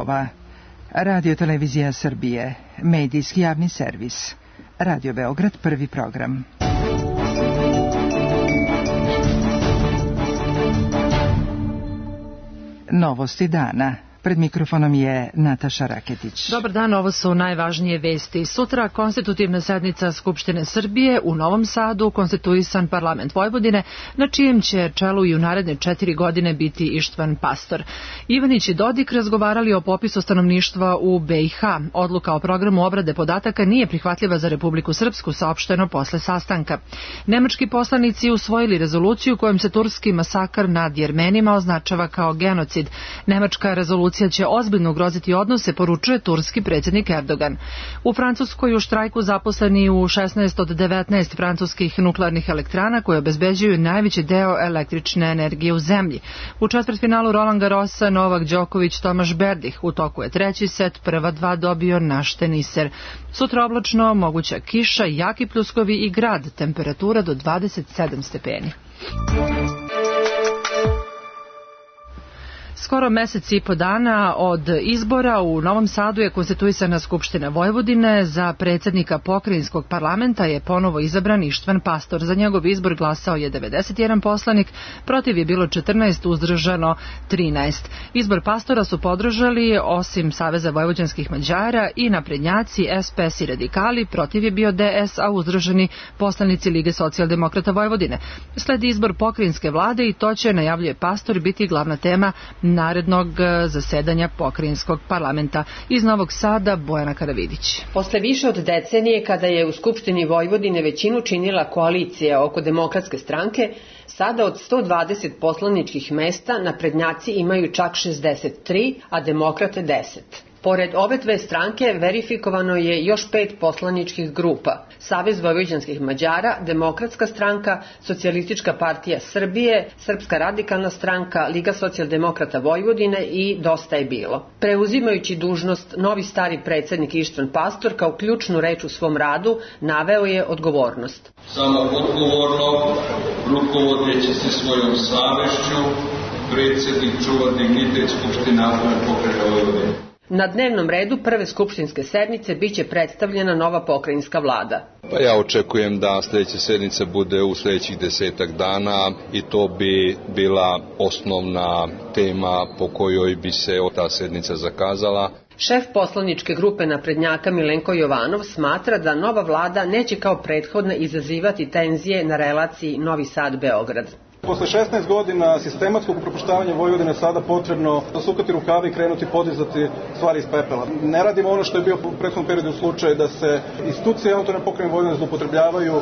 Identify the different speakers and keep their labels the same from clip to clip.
Speaker 1: stihova. Radio Televizija Srbije, medijski javni servis. Radio Beograd, prvi program. Novosti dana. Pred mikrofonom je Nataša Raketić.
Speaker 2: Dobar dan, ovo su najvažnije vesti. Sutra konstitutivna sednica Skupštine Srbije, u Novom Sadu konstituisan parlament Vojvodine, na čijem će čelu i u naredne 4 godine biti Ištvan Pastor. Ivanić i Dodik razgovarali o popisu stanovništva u BiH. Odluka o programu obrade podataka nije prihvatljiva za Republiku Srpsku, saopšteno posle sastanka. Nemački poslanici usvojili rezoluciju kojom se turski masakr nad Jermenima označava kao genocid. Nemačka rezolucija će ozbiljno ugroziti odnose, poručuje turski predsjednik Erdogan. U Francuskoj u štrajku zaposleni u 16 od 19 francuskih nuklearnih elektrana koje obezbeđuju najveći deo električne energije u zemlji. U četvrtfinalu Roland Garrosa Novak Đoković Tomaš Berdih. U toku je treći set, prva dva dobio naš teniser. Sutra oblačno, moguća kiša, jaki pljuskovi i grad, temperatura do 27 stepeni. Skoro mesec i po dana od izbora u Novom Sadu je konstituisana Skupština Vojvodine. Za predsjednika pokrajinskog parlamenta je ponovo izabran Ištvan Pastor. Za njegov izbor glasao je 91 poslanik, protiv je bilo 14, uzdržano 13. Izbor Pastora su podržali, osim Saveza vojvođanskih Mađara, i naprednjaci, SPS i radikali, protiv je bio DS, a uzdržani poslanici Lige socijaldemokrata Vojvodine. Sledi izbor pokrajinske vlade i to će, najavljuje Pastor, biti glavna tema narednog zasedanja pokrajinskog parlamenta. Iz Novog Sada, Bojana Karavidić.
Speaker 3: Posle više od decenije, kada je u Skupštini Vojvodine većinu činila koalicija oko Demokratske stranke, sada od 120 poslaničkih mesta naprednjaci imaju čak 63, a demokrate 10. Pored ove dve stranke verifikovano je još 5 poslaničkih grupa: Savez vojvođanskih Mađara, Demokratska stranka, Socijalistička partija Srbije, Srpska radikalna stranka, Liga socijaldemokrata Vojvodine i Dosta je bilo. Preuzimajući dužnost, novi stari predsjednik Ištvan Pastor kao ključnu reč u svom radu naveo je odgovornost.
Speaker 4: Samo odgovorno, rukovodeći se svojom savešću, predsjednik čuva dignitet Skupštine Autonomne pokrajine Vojvodine.
Speaker 3: Na dnevnom redu prve skupštinske sednice biće predstavljena nova pokrajinska vlada.
Speaker 5: Ja očekujem da sljedeća sednica bude u sljedećih 10 dana i to bi bila osnovna tema po kojoj bi se ta sednica zakazala.
Speaker 3: Šef poslaničke grupe naprednjaka Milenko Jovanov smatra da nova vlada neće kao prethodna izazivati tenzije na relaciji Novi Sad-Beograd.
Speaker 6: Posle 16 godina sistematskog upropaštavanja Vojvodine sada potrebno zasukati rukave i krenuti podizati stvari iz pepela. Ne radimo ono što je bio u prethodnom periodu slučaj, da se institucije Autonomne pokrajine Vojvodine zloupotrebljavaju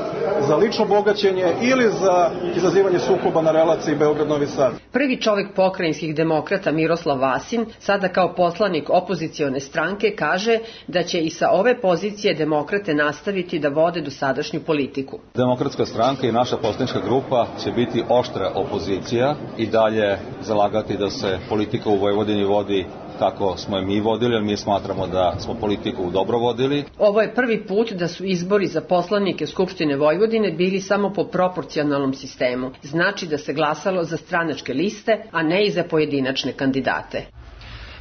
Speaker 6: za lično bogaćenje ili za izazivanje sukoba na relaciji Beograd-Novi Sad.
Speaker 3: Prvi čovjek pokrajinskih demokrata Miroslav Vasin, sada kao poslanik opozicione stranke, kaže da će i sa ove pozicije demokrate nastaviti da vode dosadašnju politiku.
Speaker 7: Demokratska stranka i naša poslanička grupa će biti oštra opozicija i dalje zalagati da se politika u Vojvodini vodi kako smo je mi vodili, jer mi smatramo da smo politiku dobro vodili.
Speaker 3: Ovo je prvi put da su izbori za poslanike Skupštine Vojvodine bili samo po proporcionalnom sistemu. Znači da se glasalo za stranačke liste, a ne i za pojedinačne kandidate.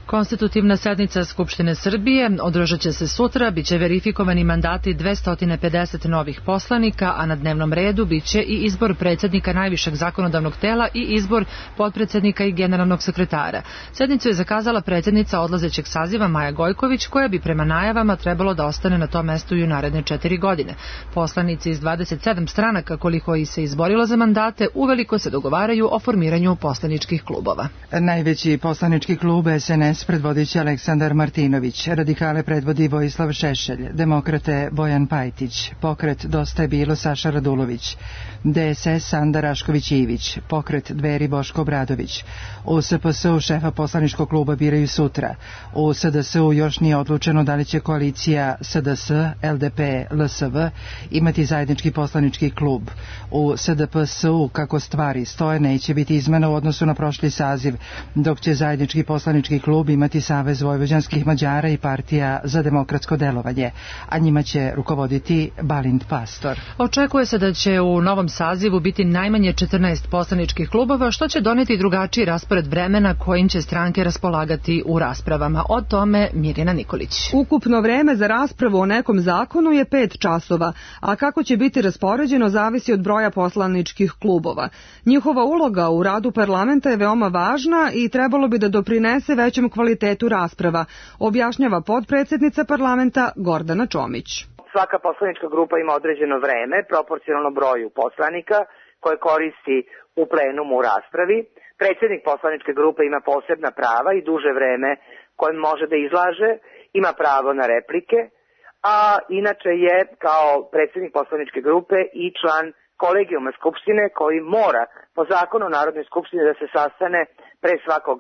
Speaker 2: Konstitutivna sednica Skupštine Srbije održat će se sutra, biće verifikovani mandati 250 novih poslanika, a na dnevnom redu biće i izbor predsjednika najvišeg zakonodavnog tela i izbor potpredsjednika i generalnog sekretara. Sednicu je zakazala predsjednica odlazećeg saziva Maja Gojković, koja bi prema najavama trebalo da ostane na tom mestu i u naredne 4 godine. Poslanici iz 27 stranaka, koliko ih se izborilo za mandate, uveliko se dogovaraju o formiranju poslaničkih klubova.
Speaker 1: Najveći poslanički klub SNS predvodit će Aleksandar Martinović, radikale predvodi Vojislav Šešelj, demokrate Bojan Pajtić, pokret Dosta je bilo Saša Radulović, DSS Sanda Rašković-Ivić, pokret Dveri Boško Obradović. U SPS-u šefa poslaničkog kluba biraju sutra. U SDS-u još nije odlučeno da li će koalicija SDS, LDP, LSV imati zajednički poslanički klub. U SDP-u, kako stvari stoje, neće biti izmena u odnosu na prošli saziv, dok će zajednički poslanički klub klub imati Savez vojvođanskih Mađara i Partija za demokratsko delovanje, a njima će rukovoditi Balint Pastor.
Speaker 2: Očekuje se da će u novom sazivu biti najmanje 14 poslaničkih klubova, što će doneti drugačiji raspored vremena kojim će stranke raspolagati u raspravama. O tome Mirjana Nikolić.
Speaker 8: Ukupno vreme za raspravu o nekom zakonu je 5 časova, a kako će biti raspoređeno zavisi od broja poslaničkih klubova. Njihova uloga u radu parlamenta je veoma važna i trebalo bi da doprinese većem kvalitetu rasprava, objašnjava potpredsednica parlamenta Gordana Čomić.
Speaker 9: Svaka poslanička grupa ima određeno vreme, proporcionalno broju poslanika koje koristi u plenumu u raspravi. Predsjednik poslaničke grupe ima posebna prava i duže vreme koje može da izlaže, ima pravo na replike, a inače je kao predsjednik poslaničke grupe i član kolegijuma Skupštine koji mora po zakonu o Narodnoj skupštini da se sastane pre svakog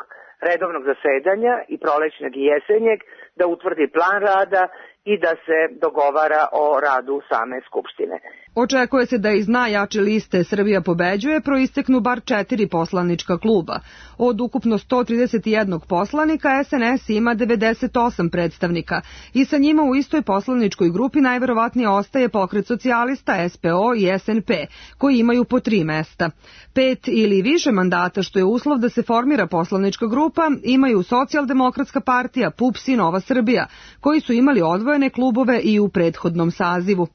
Speaker 9: redovnog zasedanja i prolećnog i jesenjeg, da utvrdi plan rada i da se dogovara o radu same Skupštine.
Speaker 8: Očekuje se da iz najjače liste Srbija pobeđuje proisteknu bar 4 poslanička kluba. Od ukupno 131 poslanika SNS ima 98 predstavnika i sa njima u istoj poslaničkoj grupi najverovatnije ostaje Pokret socijalista, SPO i SNP, koji imaju po 3 mesta. 5 ili više mandata, što je uslov da se formira poslanička grupa, imaju Socijaldemokratska partija, PUPS i Nova Srbija, koji su imali odvojene klubove i u prethodnom sazivu.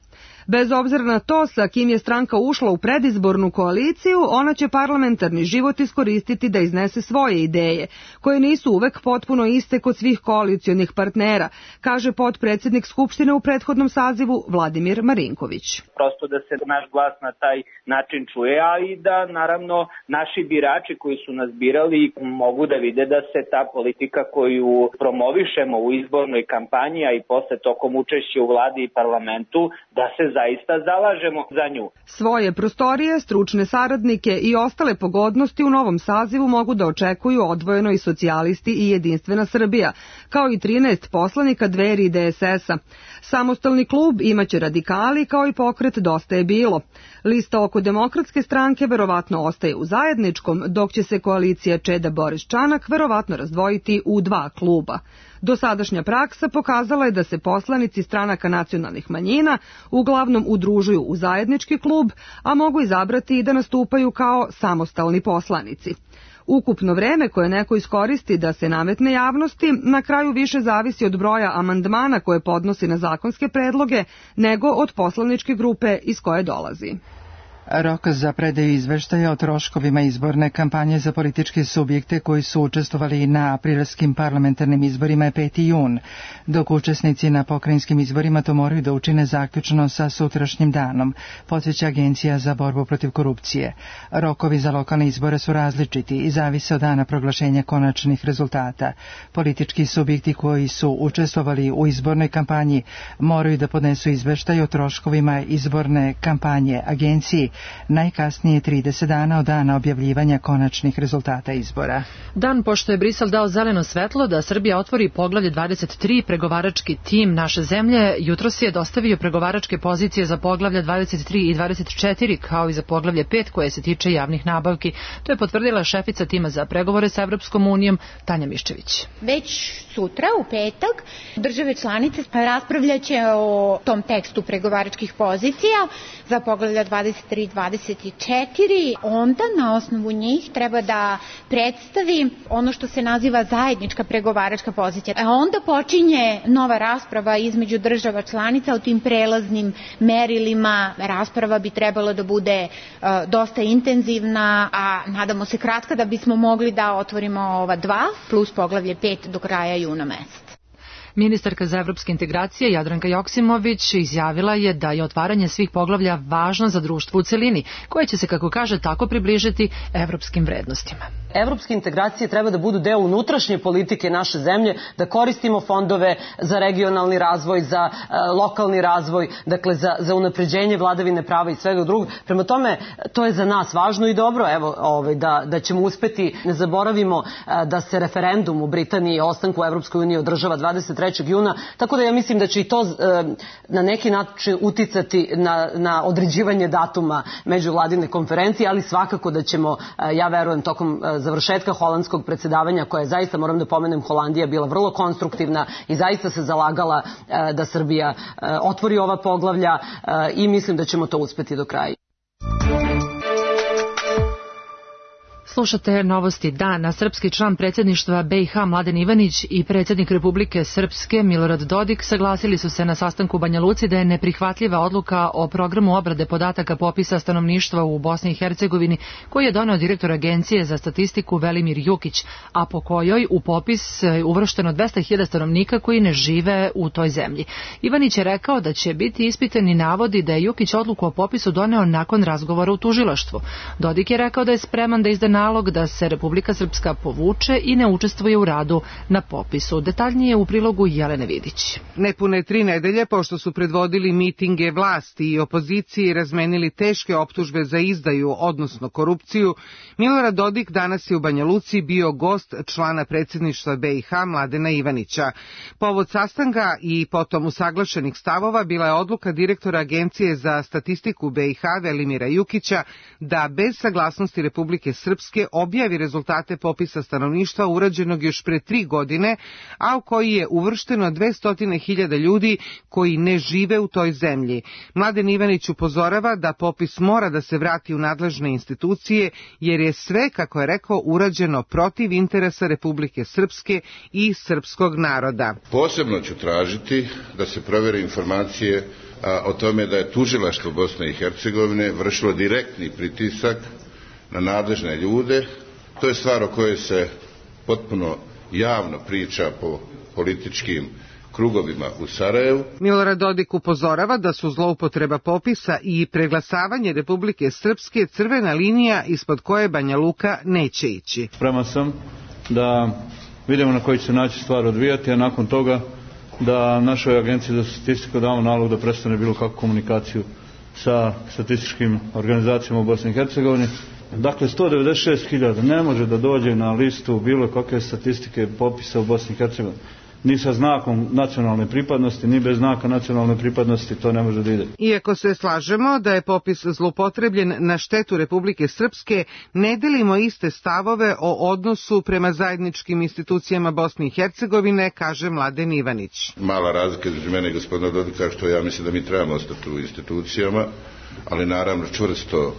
Speaker 8: Bez obzira na to sa kim je stranka ušla u predizbornu koaliciju, ona će parlamentarni život iskoristiti da iznese svoje ideje, koje nisu uvek potpuno iste kod svih koalicionih partnera, kaže potpredsednik Skupštine u prethodnom sazivu Vladimir Marinković.
Speaker 10: Prosto da se naš glas na taj način čuje, a i da naravno naši birači koji su nas birali mogu da vide da se ta politika koju promovišemo u izbornoj kampanji, a i posle tokom učešća u vladi i parlamentu, da se zaista zalažemo za nju.
Speaker 8: Svoje prostorije, stručne saradnike i ostale pogodnosti u novom sazivu mogu da očekuju odvojeno i socijalisti i Jedinstvena Srbija, kao i 13 poslanika Dveri i DSS-a. Samostalni klub imaće radikali, kao i pokret Dosta je bilo. Lista oko Demokratske stranke verovatno ostaje u zajedničkom, dok će se koalicija Čeda Boris Čanak verovatno razdvojiti u 2 kluba. Dosadašnja praksa pokazala je da se poslanici stranaka nacionalnih manjina uglavnom udružuju u zajednički klub, a mogu izabrati i da nastupaju kao samostalni poslanici. Ukupno vreme koje neko iskoristi da se nametne javnosti na kraju više zavisi od broja amandmana koje podnosi na zakonske predloge nego od poslaničke grupe iz koje dolazi.
Speaker 1: Rok za predaju izveštaja o troškovima izborne kampanje za političke subjekte koji su učestvovali na aprilskim parlamentarnim izborima je 5. jun, dok učesnici na pokrajinskim izborima to moraju da učine zaključno sa sutrašnjim danom, podsjeća Agencija za borbu protiv korupcije. Rokovi za lokalne izbore su različiti i zavise od dana proglašenja konačnih rezultata. Politički subjekti koji su učestvovali u izbornoj kampanji moraju da podnesu izveštaj o troškovima izborne kampanje Agenciji najkasnije 30 dana od dana objavljivanja konačnih rezultata izbora.
Speaker 2: Dan pošto je Brisel dao zeleno svetlo da Srbija otvori poglavlje 23, pregovarački tim naše zemlje jutros je dostavio pregovaračke pozicije za poglavlja 23 i 24, kao i za poglavlje 5 koje se tiče javnih nabavki. To je potvrdila šefica tima za pregovore sa Evropskom unijom Tanja Miščević.
Speaker 11: Već sutra, u petak, države članice raspravljaće o tom tekstu pregovaračkih pozicija za poglavlja 23 24, onda na osnovu njih treba da predstavi ono što se naziva zajednička pregovaračka pozicija. A onda počinje nova rasprava između država članica o tim prelaznim merilima. Rasprava bi trebala da bude dosta intenzivna, a nadamo se kratka da bismo mogli da otvorimo ova 2 plus poglavlje 5 do kraja juna meseca.
Speaker 2: Ministarka za evropske integracije Jadranka Joksimović izjavila je da je otvaranje svih poglavlja važno za društvo u celini, koje će se, kako kaže, tako približiti evropskim vrednostima.
Speaker 12: Evropske integracije treba da budu deo unutrašnje politike naše zemlje, da koristimo fondove za regionalni razvoj, za lokalni razvoj, dakle za unapređenje vladavine prava i svega drugog. Prema tome, to je za nas važno i dobro, da ćemo uspeti. Ne zaboravimo da se referendum u Britaniji o ostanku u Evropskoj uniji održava 23. 3. juna, tako da ja mislim da će i to na neki način uticati na određivanje datuma međuvladine konferencije, ali svakako da ćemo, ja verujem, tokom završetka holandskog predsjedavanja, koja je zaista, moram da pomenem, Holandija bila vrlo konstruktivna i zaista se zalagala da Srbija otvori ova poglavlja i mislim da ćemo to uspeti do kraja.
Speaker 2: Slušate novosti dana. Srpski član predsjedništva BiH Mladen Ivanić i predsjednik Republike Srpske Milorad Dodik saglasili su se na sastanku u Banja Luci da je neprihvatljiva odluka o programu obrade podataka popisa stanovništva u Bosni i Hercegovini koji je doneo direktor Agencije za statistiku Velimir Jukić, a po kojoj u popis uvršteno 200.000 stanovnika koji ne žive u toj zemlji. Ivanić je rekao da će biti ispitani navodi da je Jukić odluku o popisu doneo nakon razgovora u tužilaštvu. Dodik je rekao da je spreman da izda nalog da se Republika Srpska povuče i ne učestvuje u radu na popisu. Detaljnije u prilogu Jelene Vidić.
Speaker 13: Nepune 3 nedelje pošto su predvodili mitinge vlasti i opozicije i razmenili teške optužbe za izdaju, odnosno korupciju, Milorad Dodik danas je u Banja Luci bio gost člana predsjedništva BiH Mladena Ivanića. Povod sastanka i potom usaglašenih stavova bila je odluka direktora Agencije za statistiku BiH Velimira Jukića da bez saglasnosti Republike Srpske objavi rezultate popisa stanovništva urađenog još pre 3 godine, a u koji je uvršteno 200.000 ljudi koji ne žive u toj zemlji. Mladen Ivanić upozorava da popis mora da se vrati u nadležne institucije, jer je sve, kako je rekao, urađeno protiv interesa Republike Srpske i srpskog naroda.
Speaker 14: Posebno ću tražiti da se provere informacije o tome da je tužilaštvo Bosne i Hercegovine vršilo direktni pritisak na nadležne ljude. To je stvar o kojoj se potpuno javno priča po političkim krugovima u Sarajevu.
Speaker 13: Milorad Dodik upozorava da su zloupotreba popisa i preglasavanje Republike Srpske crvena linija ispod koje Banja Luka neće ići.
Speaker 15: Spreman sam da vidimo na koji će se naći stvar odvijati, a nakon toga da našoj Agenciji za statistiku damo nalog da prestane bilo kakvu komunikaciju sa statističkim organizacijama u Bosni i Hercegovini. Dakle, 196.000 ne može da dođe na listu bilo kakve statistike popisa u Bosni i Hercegovini. Ni sa znakom nacionalne pripadnosti, ni bez znaka nacionalne pripadnosti to ne može da ide.
Speaker 13: Iako se slažemo da je popis zloupotrebljen na štetu Republike Srpske, ne delimo iste stavove o odnosu prema zajedničkim institucijama Bosne i Hercegovine, kaže Mladen Ivanić.
Speaker 14: Mala razlika između mene i gospodina Dodika, što ja mislim da mi trebamo ostati u institucijama, ali naravno čvrsto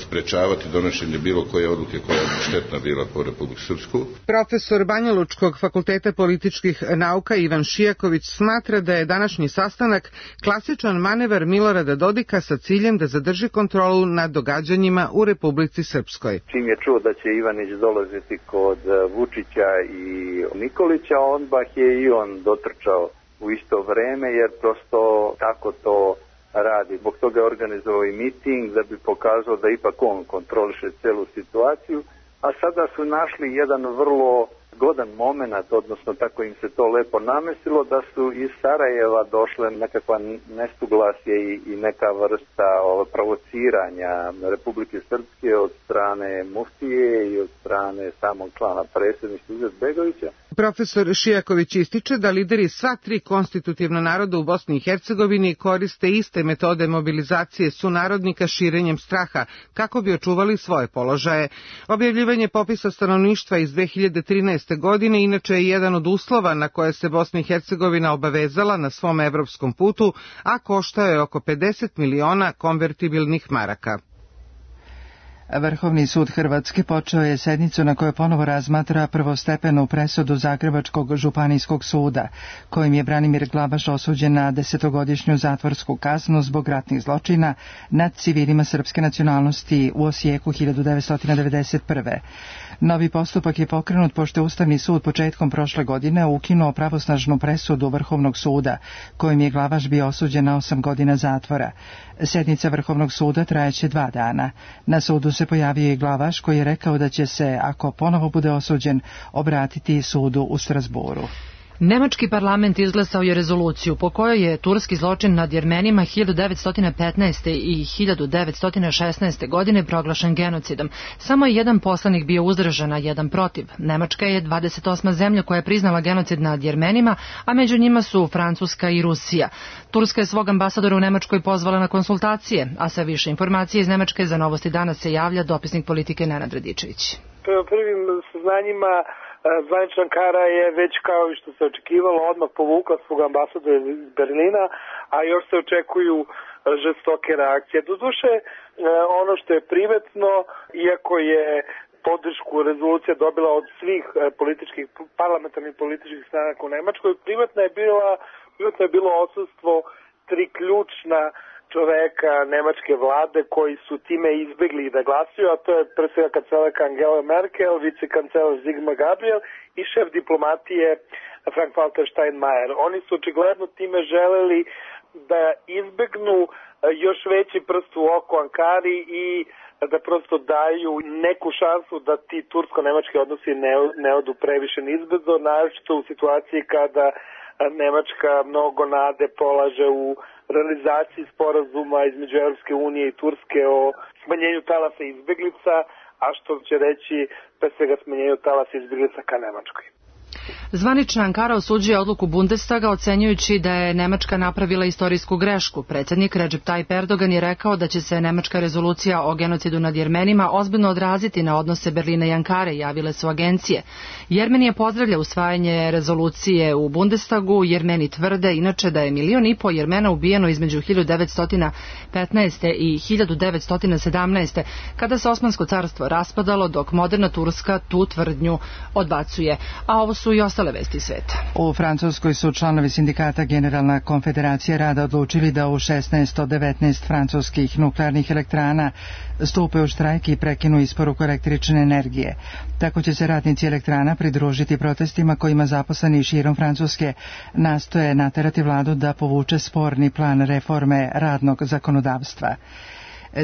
Speaker 14: sprečavati donošenje bilo koje odluke koja je štetna bila po Republiku Srpsku.
Speaker 13: Profesor Banjalučkog fakulteta političkih nauka Ivan Šijaković smatra da je današnji sastanak klasičan manevar Milorada Dodika sa ciljem da zadrži kontrolu nad događanjima u Republici Srpskoj.
Speaker 16: Čim je čuo da će Ivanić dolaziti kod Vučića i Nikolića, odmah je i on dotrčao u isto vreme, jer prosto tako to radi. Zbog toga je organizovao i miting da bi pokazao da ipak on kontroliše celu situaciju, a sada su našli jedan vrlo zgodan moment, odnosno tako im se to lepo namestilo, da su iz Sarajeva došle nekakva nesuglasje i neka vrsta provociranja Republike Srpske od strane muftije i od strane samog člana predsjedništva Izetbegovića.
Speaker 13: Profesor Šijaković ističe da lideri sva 3 konstitutivna naroda u Bosni i Hercegovini koriste iste metode mobilizacije sunarodnika širenjem straha kako bi očuvali svoje položaje. Objavljivanje popisa stanovništva iz 2013. godine inače je jedan od uslova na koje se Bosna i Hercegovina obavezala na svom evropskom putu, a koštao je oko 50 miliona konvertibilnih maraka.
Speaker 1: Vrhovni sud Hrvatske počeo je sednicu na kojoj ponovo razmatra prvostepenu presudu Zagrebačkog županijskog suda, kojim je Branimir Glavaš osuđen na 10-godišnju zatvorsku kaznu zbog ratnih zločina nad civilima srpske nacionalnosti u Osijeku 1991. Novi postupak je pokrenut pošto je Ustavni sud početkom prošle godine ukinuo pravosnažnu presudu Vrhovnog suda, kojim je Glavaš bio osuđen na 8 godina zatvora. Sednica Vrhovnog suda trajeće 2 dana. Na sudu se pojavio i Glavaš koji je rekao da će se, ako ponovo bude osuđen, obratiti sudu u Strasburu.
Speaker 2: Nemački parlament izglasao je rezoluciju po kojoj je turski zločin nad Jermenima 1915. i 1916. godine proglašen genocidom. Samo je jedan poslanik bio uzdržan, a jedan protiv. Nemačka je 28. zemlja koja je priznala genocid nad Jermenima, a među njima su Francuska i Rusija. Turska je svog ambasadora u Nemačkoj pozvala na konsultacije, a sve više informacije iz Nemačke za Novosti danas se javlja dopisnik politike Nenad Radičević.
Speaker 17: Prema prvim saznanjima, zvanična Ankara je već kao i što se očekivalo odmah povukla svog ambasadora iz Berlina, a još se očekuju žestoke reakcije. Doduše, ono što je primetno, iako je podršku rezolucija dobila od svih parlamentarnih političkih stranaka u Nemačkoj, primetno je bilo odsustvo tri ključna čoveka nemačke vlade koji su time izbjegli da glasuju, a to je pre svega kancelarka Angela Merkel, vicekancelar Sigmar Gabriel i šef diplomatije Frank-Walter Steinmeier. Oni su očigledno time želeli da izbegnu još veći prst u oko Ankari i da prosto daju neku šansu da ti tursko-nemački odnosi ne odu previše nizbrdo, naročito u situaciji kada Nemačka mnogo nade polaže u realizaciji sporazuma između Europske unije i Turske o smanjenju talasa izbjeglica, a što će reći pre svega smanjenju talasa izbjeglica ka Nemačkoj.
Speaker 2: Zvanična Ankara osuđuje odluku Bundestaga ocenjujući da je Nemačka napravila istorijsku grešku. Predsjednik Recep Tayyip Erdogan je rekao da će se nemačka rezolucija o genocidu nad Jermenima ozbiljno odraziti na odnose Berlina i Ankare, javile su agencije. Jermenija pozdravlja usvajanje rezolucije u Bundestagu. Jermeni tvrde inače da je 1,5 miliona Jermena ubijeno između 1915. i 1917. kada se Osmansko carstvo raspadalo, dok moderna Turska tu tvrdnju odbacuje. A ovo su i ostale vesti sveta.
Speaker 1: U Francuskoj su članovi sindikata Generalna konfederacija rada odlučili da u 16 od 19 francuskih nuklearnih elektrana stupe u štrajk i prekinu isporuku električne energije. Tako će se radnici elektrana pridružiti protestima kojima zaposleni širom Francuske nastoje naterati vladu da povuče sporni plan reforme radnog zakonodavstva.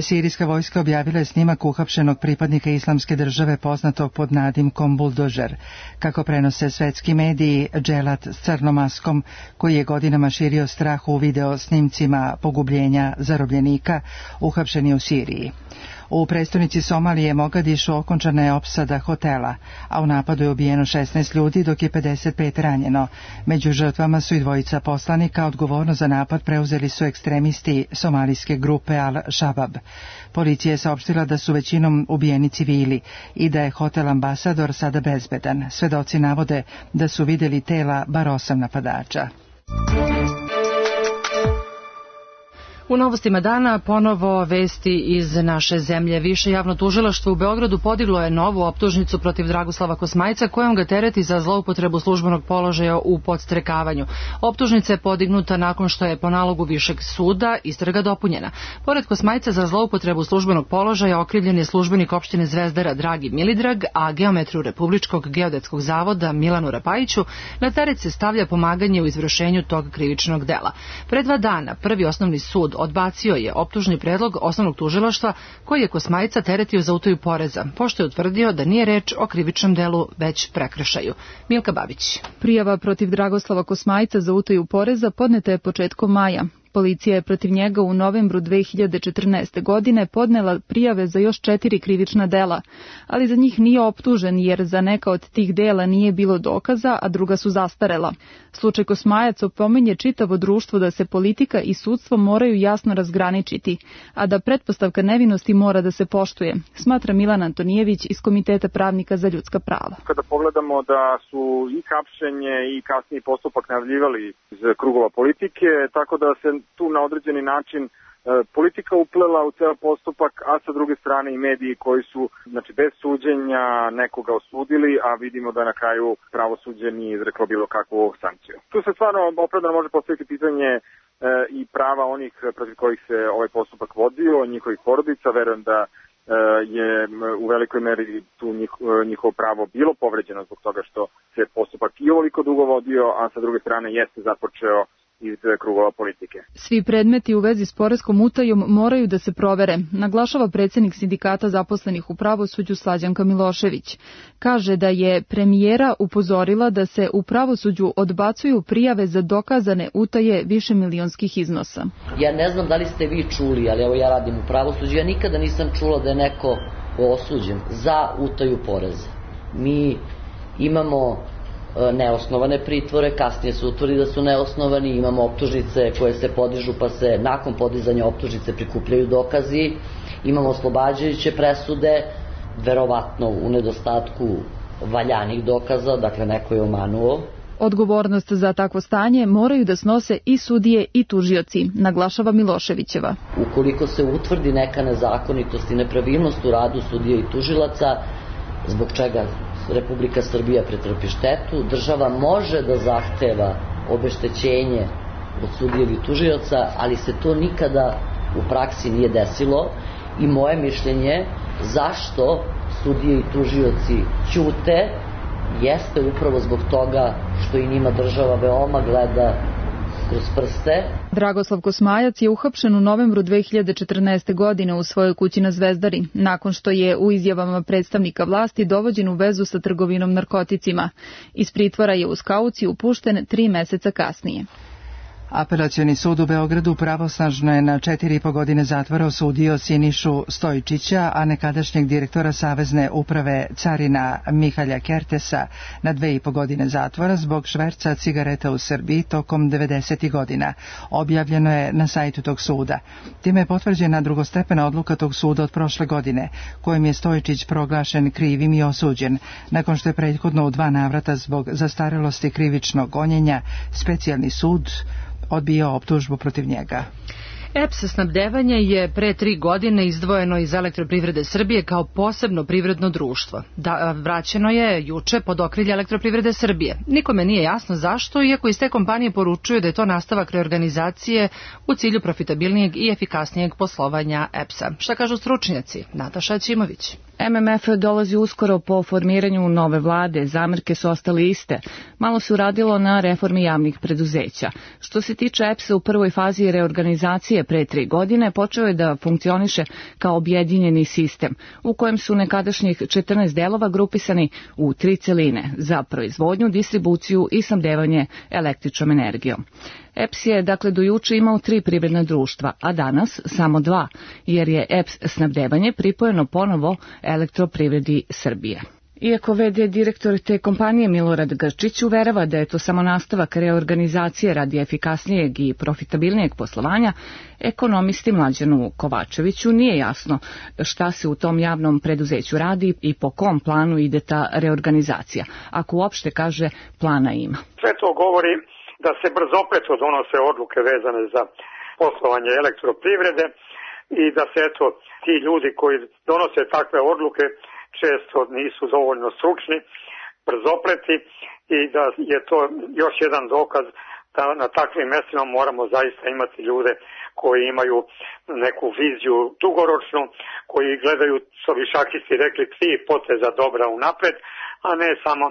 Speaker 1: Sirijska vojska objavila je snimak uhapšenog pripadnika Islamske države poznatog pod nadimkom Buldožer. Kako prenose svetski mediji, dželat s crnom maskom, koji je godinama širio strah u video snimcima pogubljenja zarobljenika, uhapšen je u Siriji. U prestonici Somalije Mogadišu okončana je opsada hotela, a u napadu je ubijeno 16 ljudi dok je 55 ranjeno. Među žrtvama su i dvojica poslanika, odgovorno za napad preuzeli su ekstremisti somalijske grupe Al-Shabaab. Policija je saopštila da su većinom ubijeni civili i da je hotel Ambasador sada bezbedan. Svedoci navode da su vidjeli tela bar 8 napadača.
Speaker 2: U novostima dana ponovo vesti iz naše zemlje. Više javno tužilaštvo u Beogradu podiglo je novu optužnicu protiv Dragoslava Kosmajca kojom ga tereti za zloupotrebu službenog položaja u podstrekavanju. Optužnica je podignuta nakon što je po nalogu Višeg suda istraga dopunjena. Pored Kosmajca za zloupotrebu službenog položaja okrivljen je službenik opštine Zvezdara Dragi Milidrag, a geometru Republičkog geodetskog zavoda Milanu Rapajiću na teret se stavlja pomaganje u izvršenju tog krivičnog dela. Pre 2 dana Prvi osnovni sud odbacio je optužni predlog osnovnog tužilaštva koji je Kosmajca teretio za utaju poreza, pošto je utvrdio da nije reč o krivičnom delu već prekršaju. Milka Babić.
Speaker 18: Prijava protiv Dragoslava Kosmajca za utaju poreza podneta je početkom maja. Policija je protiv njega u novembru 2014. godine podnela prijave za još 4 krivična dela, ali za njih nije optužen jer za neka od tih dela nije bilo dokaza, a druga su zastarela. Slučaj Kosmajac opominje čitavo društvo da se politika i sudstvo moraju jasno razgraničiti, a da pretpostavka nevinosti mora da se poštuje, smatra Milan Antonijević iz Komiteta pravnika za ljudska prava.
Speaker 19: Kada pogledamo da su i hapšenje i kasniji postupak najavljivali iz krugova politike, tako da se tu na određeni način politika uplela u ceo postupak, a sa druge strane i mediji koji su bez suđenja nekoga osudili, a vidimo da na kraju pravosuđe nije izreklo bilo kakvu sankciju. Tu se stvarno opravdano može postaviti pitanje i prava onih protiv kojih se ovaj postupak vodio, njihovih porodica. Verujem da je u velikoj meri tu njihovo pravo bilo povređeno zbog toga što se postupak i ovoliko dugo vodio, a sa druge strane jeste započeo iz krugova politike.
Speaker 18: Svi predmeti u vezi s poreskom utajom moraju da se provere, naglašava predsjednik sindikata zaposlenih u pravosuđu Slađanka Milošević. Kaže da je premijera upozorila da se u pravosuđu odbacuju prijave za dokazane utaje višemilionskih iznosa.
Speaker 20: Ja ne znam da li ste vi čuli, ali evo ja radim u pravosuđu, ja nikada nisam čula da je neko osuđen za utaju poreza. Mi imamo neosnovane pritvore, kasnije se utvrdi da su neosnovani, imamo optužnice koje se podižu pa se nakon podizanja optužnice prikupljaju dokazi, imamo oslobađajuće presude, verovatno u nedostatku valjanih dokaza, dakle neko je omanuo.
Speaker 18: Odgovornost za takvo stanje moraju da snose i sudije i tužioci, naglašava Miloševićeva.
Speaker 20: Ukoliko se utvrdi neka nezakonitost i nepravilnost u radu sudija i tužilaca, zbog čega Republika Srbija pretrpi štetu, država može da zahteva obeštećenje od sudija ili tužioca, ali se to nikada u praksi nije desilo i moje mišljenje zašto sudije i tužioci ćute jeste upravo zbog toga što i njima država veoma gleda kroz prste.
Speaker 18: Dragoslav Kosmajac je uhapšen u novembru 2014. godine u svojoj kući na Zvezdari, nakon što je u izjavama predstavnika vlasti dovođen u vezu sa trgovinom narkoticima. Iz pritvora je uz kauciju pušten 3 meseca kasnije.
Speaker 1: Apelacioni sud u Beogradu pravosnažno je na 4,5 godine zatvora osudio Sinišu Stojčića, a nekadašnjeg direktora Savezne uprave carina Mihalja Kertesa na 2,5 godine zatvora zbog šverca cigareta u Srbiji tokom 90. godina. Objavljeno je na sajtu tog suda. Time je potvrđena drugostepena odluka tog suda od prošle godine, kojim je Stojčić proglašen krivim i osuđen, nakon što je prethodno u 2 navrata zbog zastarelosti krivičnog gonjenja specijalni sud odbio optužbu protiv njega.
Speaker 2: EPS snabdevanje je pre 3 godine izdvojeno iz Elektroprivrede Srbije kao posebno privredno društvo. Vraćeno je juče pod okrilje Elektroprivrede Srbije. Nikome nije jasno zašto, iako iz te kompanije poručuju da je to nastavak reorganizacije u cilju profitabilnijeg i efikasnijeg poslovanja EPS-a. Šta kažu stručnjaci? Nataša Ćimović.
Speaker 21: MMF dolazi uskoro po formiranju nove vlade, zamerke su ostale iste. Malo se uradilo na reformi javnih preduzeća. Što se tiče EPS-a, u prvoj fazi reorganizacije pre 3 godine počeo je da funkcioniše kao objedinjeni sistem, u kojem su nekadašnjih 14 delova grupisani u 3 celine za proizvodnju, distribuciju i snabdevanje električnom energijom. EPS je dakle do juče imao 3 privredna društva, a danas samo 2, jer je EPS snabdevanje pripojeno ponovo Elektroprivredi Srbije. Iako v.d. direktor te kompanije Milorad Grčić uverava da je to samo nastavak reorganizacije radi efikasnijeg i profitabilnijeg poslovanja, ekonomisti Mlađanu Kovačeviću nije jasno šta se u tom javnom preduzeću radi i po kom planu ide ta reorganizacija, ako uopšte kaže plana ima.
Speaker 22: Sve to govori da se brzopleto donose odluke vezane za poslovanje Elektroprivrede i da se ti ljudi koji donose takve odluke često nisu dovoljno stručni, brzopleti i da je to još jedan dokaz da na takvim mjestima moramo zaista imati ljude koji imaju neku viziju dugoročnu, koji gledaju, što bi šahisti rekli, 3 poteza dobra unapred, a ne samo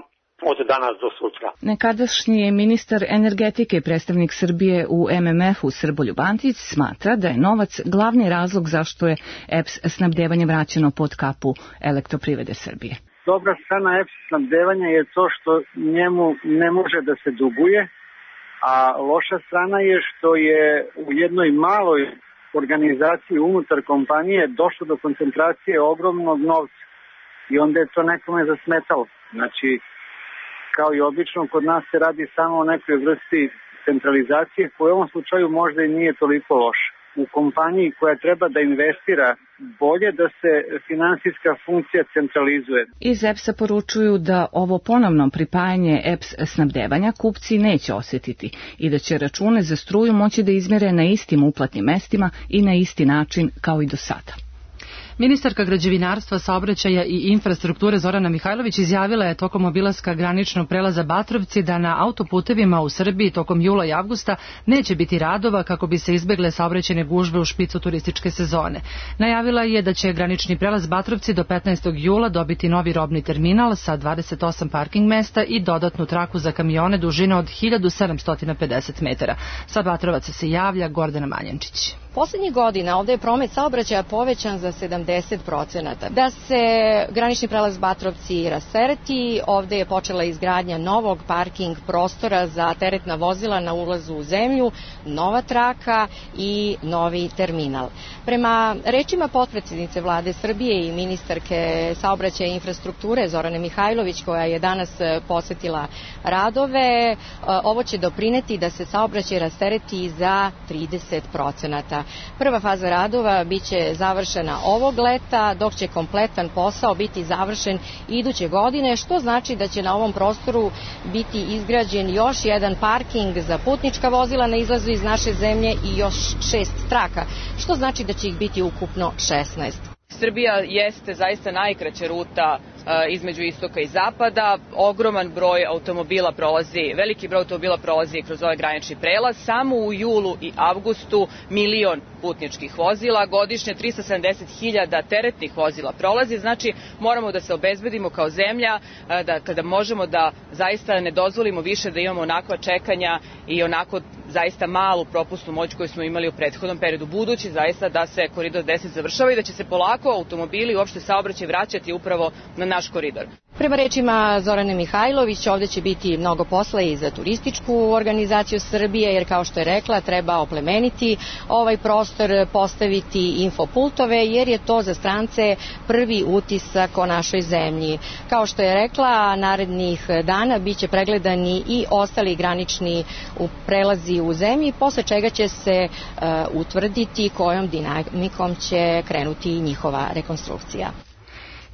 Speaker 22: od danas do sutra.
Speaker 21: Nekadašnji ministar energetike i predstavnik Srbije u MMF-u Srboljub Antić smatra da je novac glavni razlog zašto je EPS snabdevanje vraćeno pod kapu Elektroprivrede Srbije.
Speaker 23: Dobra strana EPS snabdevanja je to što njemu ne može da se duguje, a loša strana je što je u jednoj maloj organizaciji unutar kompanije došlo do koncentracije ogromnog novca i onda je to nekome zasmetalo. Znači, kao i obično, kod nas se radi samo o nekoj vrsti centralizacije koja u ovom slučaju možda i nije toliko loša. U kompaniji koja treba da investira, bolje da se finansijska funkcija centralizuje.
Speaker 21: Iz EPS-a poručuju da ovo ponovno pripajanje EPS snabdevanja kupci neće osjetiti i da će račune za struju moći da izmjere na istim uplatnim mestima i na isti način kao i do sada.
Speaker 2: Ministarka građevinarstva, saobraćaja i infrastrukture Zorana Mihajlović izjavila je tokom obilaska graničnog prelaza Batrovci da na autoputevima u Srbiji tokom jula i avgusta neće biti radova kako bi se izbegle saobraćajne gužve u špicu turističke sezone. Najavila je da će granični prelaz Batrovci do 15. jula dobiti novi robni terminal sa 28 parking mesta i dodatnu traku za kamione dužine od 1750 metara. Sa Batrovaca se javlja Gordana Manjančić.
Speaker 4: Poslednjih godina ovde je promet saobraćaja povećan za 70%. Da se granični prelaz Batrovci rastereti, ovde je počela izgradnja novog parking prostora za teretna vozila na ulazu u zemlju, nova traka i novi terminal. Prema rečima potpredsednice Vlade Srbije i ministarke saobraćaja i infrastrukture Zorane Mihajlović, koja je danas posetila radove, ovo će doprineti da se saobraćaj rastereti za 30%. Prva faza radova biće završena ovog leta, dok će kompletan posao biti završen iduće godine, što znači da će na ovom prostoru biti izgrađen još jedan parking za putnička vozila na izlazu iz naše zemlje i još 6 traka, što znači da će ih biti ukupno 16.
Speaker 5: Srbija jeste zaista najkraća ruta između istoka i zapada. Ogroman broj automobila prolazi, veliki broj automobila prolazi kroz ovaj granični prelaz. Samo u julu i avgustu 1.000.000 putničkih vozila, godišnje 370.000 teretnih vozila prolazi. Znači moramo da se obezbedimo kao zemlja da kada možemo da zaista ne dozvolimo više da imamo onakva čekanja i onako zaista malu propusnu moć koju smo imali u prethodnom periodu, budući zaista da se koridor 10 završava i da će se polako automobili i uopšte saobraćaj vraćati upravo na naš koridor.
Speaker 4: Prema rečima Zorane Mihajlović, ovde će biti mnogo posla i za turističku organizaciju Srbije, jer kao što je rekla, treba oplemeniti ovaj prostor, postaviti infopultove, jer je to za strance prvi utisak o našoj zemlji. Kao što je rekla, narednih dana biće pregledani i ostali granični prelazi u zemlji, posle čega će se utvrditi kojom dinamikom će krenuti njihova rekonstrukcija.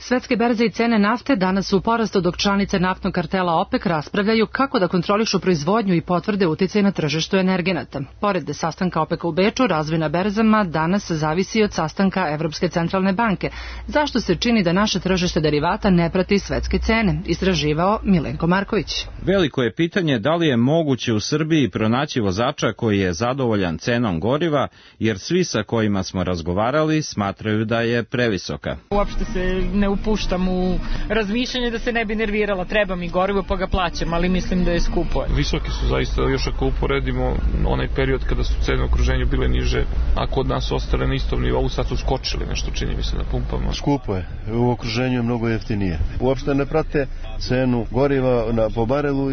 Speaker 2: Svetske berze i cene nafte danas su u porastu, dok članice naftnog kartela OPEC raspravljaju kako da kontrolišu proizvodnju i potvrde uticaj na tržištu energenata. Pored sastanka OPEC u Beču, razvoj na berzama danas zavisi od sastanka Evropske centralne banke. Zašto se čini da naše tržište derivata ne prati svetske cene? Istraživao Milenko Marković.
Speaker 6: Veliko je pitanje da li je moguće u Srbiji pronaći vozača koji je zadovoljan cenom goriva, jer svi sa kojima smo razgovarali smatraju da je previsoka.
Speaker 24: Uopšte se ne upuštam u razmišljanje da se ne bi nervirala. Treba mi gorivo pa ga plaćam, ali mislim da je skupo.
Speaker 25: Visoki su zaista, još ako uporedimo onaj period kada su cene u okruženju bile niže, a kod nas ostale na istom nivou, sad su skočili nešto, čini mi se, na pumpama.
Speaker 26: Skupo je, u okruženju je mnogo jeftinije. Uopšte ne prate cenu goriva po barelu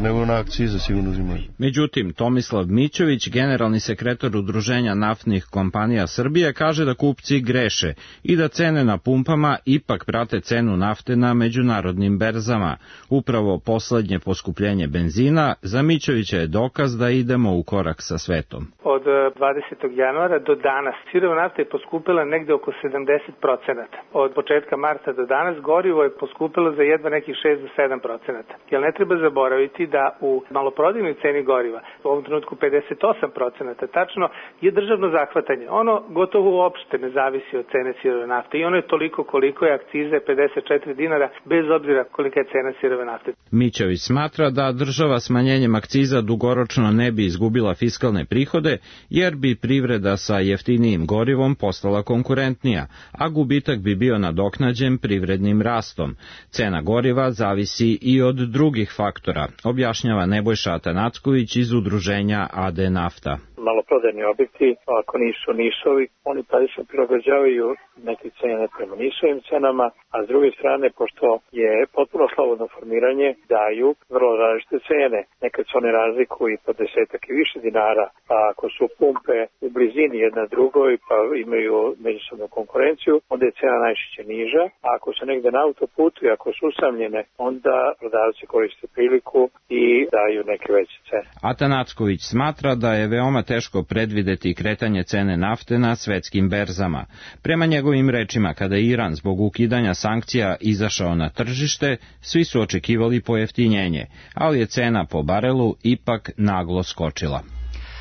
Speaker 26: nego na akcize sigurno uzimaju.
Speaker 6: Međutim, Tomislav Mićović, generalni sekretar Udruženja naftnih kompanija Srbije, kaže da kupci greše i da cene na pumpama ipak prate cenu nafte na međunarodnim berzama. Upravo poslednje poskupljenje benzina za Mićovića je dokaz da idemo u korak sa svetom.
Speaker 27: Od 20. januara do danas sirova nafta je poskupila negde oko 70%. Od početka marta do danas gorivo je poskupilo za jedva nekih 6 do 7%. Jer ne treba zaboraviti da u maloprodajnoj ceni goriva, u ovom trenutku 58% tačno, je državno zahvatanje. Ono gotovo uopšte ne zavisi od cene sirove nafte i ono je toliko koliko je akcize 54 dinara, bez obzira kolika je cena sirove nafte.
Speaker 6: Mićović smatra da država smanjenjem akciza dugoročno ne bi izgubila fiskalne prihode, jer bi privreda sa jeftinijim gorivom postala konkurentnija, a gubitak bi bio nadoknađen privrednim rastom. Cena goriva zavisi i od drugih faktora, objašnjava Nebojša Atanacković iz udruženja AD Nafta.
Speaker 28: Maloprodajni objekti, ako nisu nišovi, oni praktično prilagođavaju neke cene prema nišovim cenama, a s druge strane, pošto je potpuno slobodno formiranje, daju vrlo različite cene. Nekad se one razlikuju i po 10 i više dinara, a ako su pumpe u blizini jedna drugoj, pa imaju međusobnu konkurenciju, onda je cena najčešće niža, a ako su negde na autoputu i ako su usamljene, onda prodavci koriste priliku i daju neke veće cene.
Speaker 6: Atanacković smatra da je veoma teško predvideti kretanje cene nafte na svetskim berzama. Prema njegovim rečima, kada je Iran zbog ukidanja sankcija izašao na tržište, svi su očekivali pojeftinjenje, ali je cena po barelu ipak naglo skočila.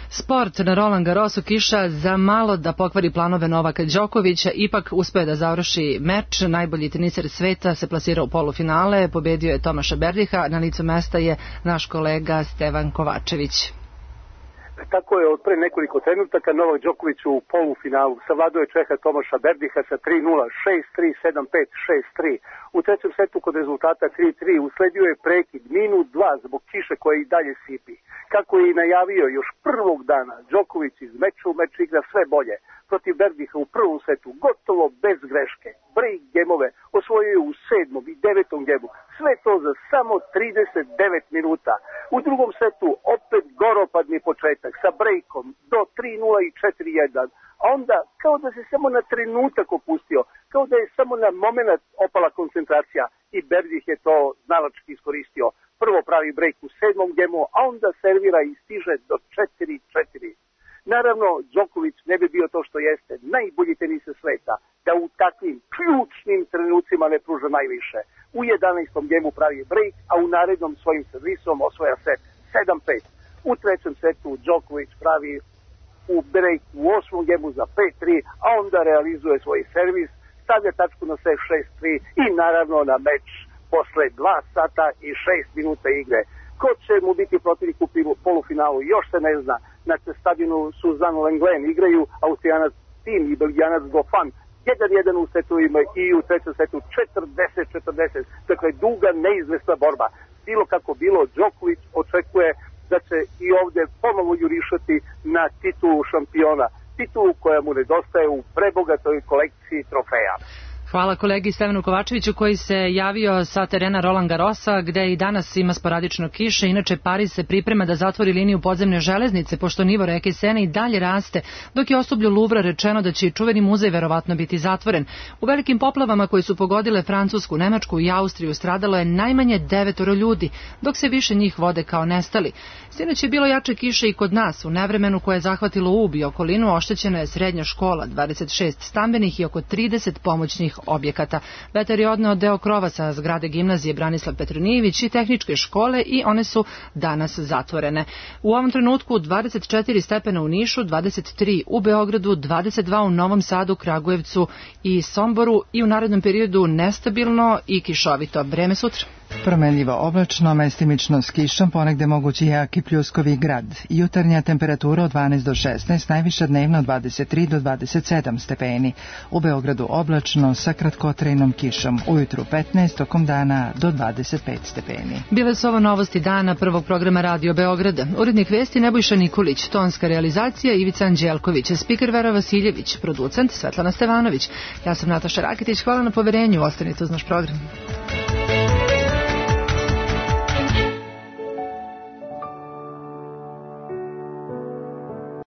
Speaker 2: Sport na Roland Garrosu, kiša za malo da pokvari planove Novaka Đokovića, ipak uspeo da završi meč. Najbolji teniser sveta se plasirao u polufinale, pobedio je Tomaša Berdiha, na licu mesta je naš kolega Stevan Kovačević.
Speaker 3: Tako je od pre nekoliko trenutaka Novak Đoković u polufinalu savladao je Čeha Tomaša Berdiha sa 3-0, 6-3, 7-5, 6-3. U trećem setu kod rezultata 3-3 usledio je prekid minut 2 zbog kiše koja i dalje sipi. Kako je i najavio još prvog dana, Đoković iz meča u meč igra sve bolje. Protiv Berdiha u prvom setu gotovo bez greške. Break gemove osvojio je u 7. i 9. gemu. Sve to za samo 39 minuta. U drugom setu opet goropadni početak sa breakom do 3-0 i 4-1. A onda kao da se samo na trenutak opustio, kao da je samo na moment opala koncentracija i Berdih je to znalački iskoristio. Prvo pravi break u 7. gemu, a onda servira i stiže do 4-4. Naravno, Đoković ne bi bio to što jeste, najbolji teniser sveta, da u takvim ključnim trenucima ne pruža najviše. U 11. gemu pravi break, a u narednom svojim servisom osvoja set 7-5. U trećem setu Đoković pravi u break u 8. gemu za 5-3, a onda realizuje svoj servis, stavlja tačku na set 6-3 i naravno na meč posle 2 sata i 6 minuta igre. Ko će mu biti protivnik u polufinalu, još se ne zna. Na stadionu Suzanne Lenglen igraju Austrijanac Tim i Belgijanac Goffin. 1-1 u setovima i u trećem setu 40-40. Dakle, duga, neizvesna borba. Bilo kako bilo, Đoković očekuje da će i ovde ponovo jurišati na titulu šampiona. Titulu koja mu nedostaje u prebogatoj kolekciji trofeja.
Speaker 2: Hvala kolegi Stevanu Kovačeviću koji se javio sa terena Roland Garrosa gde i danas ima sporadično kiše. Inače, Pariz se priprema da zatvori liniju podzemne železnice pošto nivo reke Sene i dalje raste, dok je osoblju Luvra rečeno da će i čuveni muzej verovatno biti zatvoren. U velikim poplavama koji su pogodile Francusku, Nemačku i Austriju stradalo je najmanje 9 ljudi, dok se više njih vode kao nestali. Sinoć je bilo jače kiše i kod nas. U nevremenu koje je zahvatilo Ub i okolinu oštećena je srednja škola, 26 stambenih i oko 30 pomoćnih objekata. Vetar je odneo deo krova sa zgrade gimnazije Branislav Petronijević i tehničke škole i one su danas zatvorene. U ovom trenutku 24 stepena u Nišu, 23 u Beogradu, 22 u Novom Sadu, Kragujevcu i Somboru i u narednom periodu nestabilno i kišovito. Vreme sutra.
Speaker 1: Promenljivo oblačno, mestimično s kišom, ponegde mogući jaki pljuskovi grad. Jutarnja temperatura od 12 do 16, najviša dnevno od 23 do 27 stepeni. U Beogradu oblačno sa kratkotrajnom kišom. Ujutru 15, tokom dana do 25 stepeni.
Speaker 2: Bile su ovo novosti dana prvog programa Radio Beograda. Urednik vesti Nebojša Nikolić, tonska realizacija Ivica Anđelković, spiker Vera Vasiljević, producent Svetlana Stevanović. Ja sam Nataša Raketić, hvala na poverenju, ostanite uz naš program.